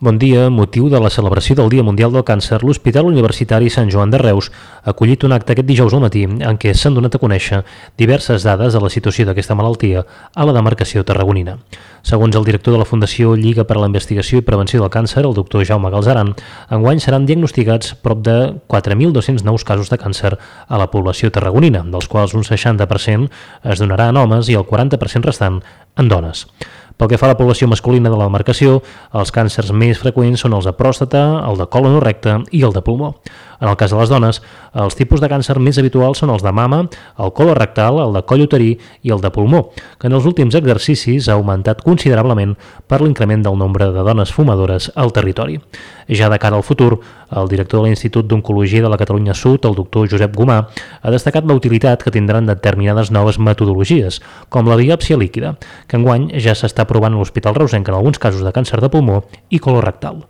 Bon dia. Motiu de la celebració del Dia Mundial del Càncer, l'Hospital Universitari Sant Joan de Reus ha acollit un acte aquest dijous al matí en què s'han donat a conèixer diverses dades de la situació d'aquesta malaltia a la demarcació tarragonina. Segons el director de la Fundació Lliga per a la Investigació i Prevenció del Càncer, el doctor Jaume Galzeran, enguany seran diagnosticats prop de 4.200 nous casos de càncer a la població tarragonina, dels quals un 60% es donarà en homes i el 40% restant en dones. Pel que fa a la població masculina de la demarcació, els càncers més freqüents són els de pròstata, el de còlon o recte i el de pulmó. En el cas de les dones, els tipus de càncer més habituals són els de mama, el colorectal, el de coll uterí i el de pulmó, que en els últims exercicis ha augmentat considerablement per l'increment del nombre de dones fumadores al territori. Ja de cara al futur, el director de l'Institut d'Oncologia de la Catalunya Sud, el doctor Josep Gomà, ha destacat la utilitat que tindran determinades noves metodologies, com la biòpsia líquida, que enguany ja s'està provant a l'Hospital Reusenc en alguns casos de càncer de pulmó i colorectal.